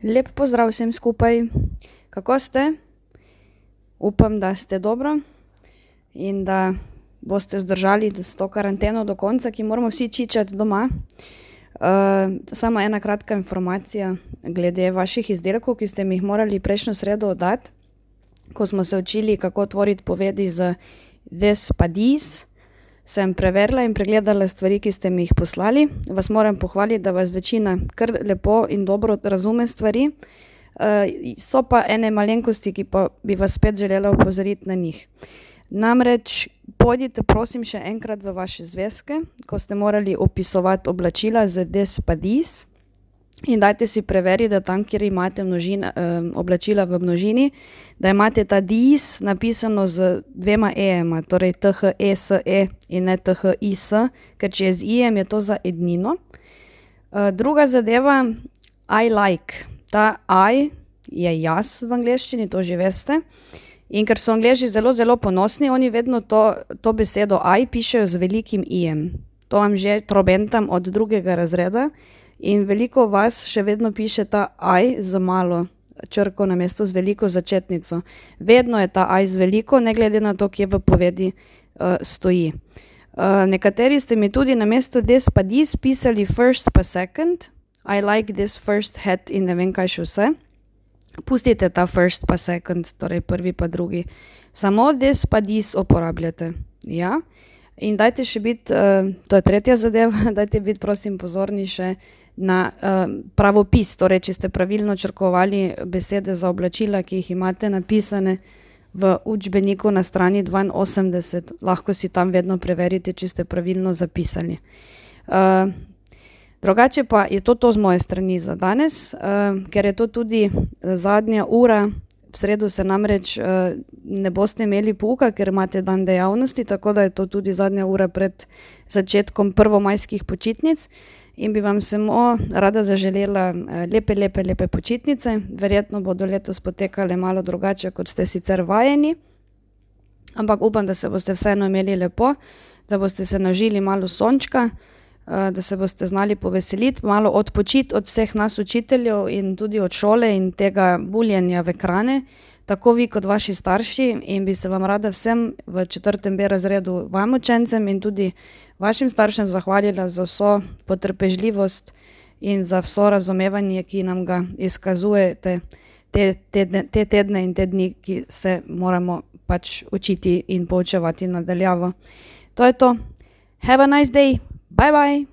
Lep pozdrav vsem skupaj. Kako ste? Upam, da ste dobro in da boste zdržali s to karanteno do konca, ki moramo vsi čičati doma. Samo ena kratka informacija glede vaših izdelkov, ki ste mi jih morali prejšnjo sredo oddati, ko smo se učili, kako tvoriti povedi z this pa this. Sem preverila in pregledala stvari, ki ste mi jih poslali. Vas moram pohvaliti, da vas večina kar lepo in dobro razume stvari. So pa ene malenkosti, ki pa bi vas spet želela opozoriti na njih. Namreč pojdite prosim še enkrat v vaše zvezke, ko ste morali opisovati oblačila z this pa this, in dajte si preveriti, da tam, kjer imate oblačila v množini, da imate ta this napisano z dvema e-ema, torej THESE in ne THIS, ker če je z i-jem, je to za ednino. Druga zadeva, I like. Ta I je jaz v angleščini, to že veste. In ker so Angleži zelo, zelo ponosni, oni vedno to besedo I pišejo z velikim i-jem. To vam že trobentam od 2. razreda. In veliko vas še vedno piše ta I z malo črko namesto z veliko začetnico. Vedno je ta I z veliko, ne glede na to, kje v povedi stoji. Nekateri ste mi tudi namesto this pa this pisali first pa second. I like this first hat in ne vem kaj še vse. Pustite ta first pa second, torej prvi pa drugi. Samo this pa this uporabljate. Ja? In dajte še biti, to je tretja zadeva, dajte biti prosim pozorni še na pravopis, torej če ste pravilno črkovali besede za oblačila, ki jih imate napisane v učbeniku na strani 82, lahko si tam vedno preverite, če ste pravilno zapisali. Drugače pa je to z moje strani za danes, ker je to tudi zadnja ura. V sredo se namreč ne boste imeli pouka, ker imate dan dejavnosti, tako da je to tudi zadnja ura pred začetkom prvomajskih počitnic in bi vam samo rada zaželela lepe počitnice. Verjetno bodo letos potekale malo drugače, kot ste sicer vajeni, ampak upam, da se boste vseeno imeli lepo, da boste se naužili malo sončka, da se boste znali poveseliti, malo odpočiti od vseh nas učiteljev in tudi od šole in tega buljenja v ekrane, tako vi kot vaši starši, in bi se vam rada vsem v 4.b razredu, vam učencem in tudi vašim staršem zahvalila za vso potrpežljivost in za vso razumevanje, ki nam ga izkazujete te tedne in te dni, ki se moramo pač učiti in poučevati na daljavo. To je to. Have a nice day! Bye bye!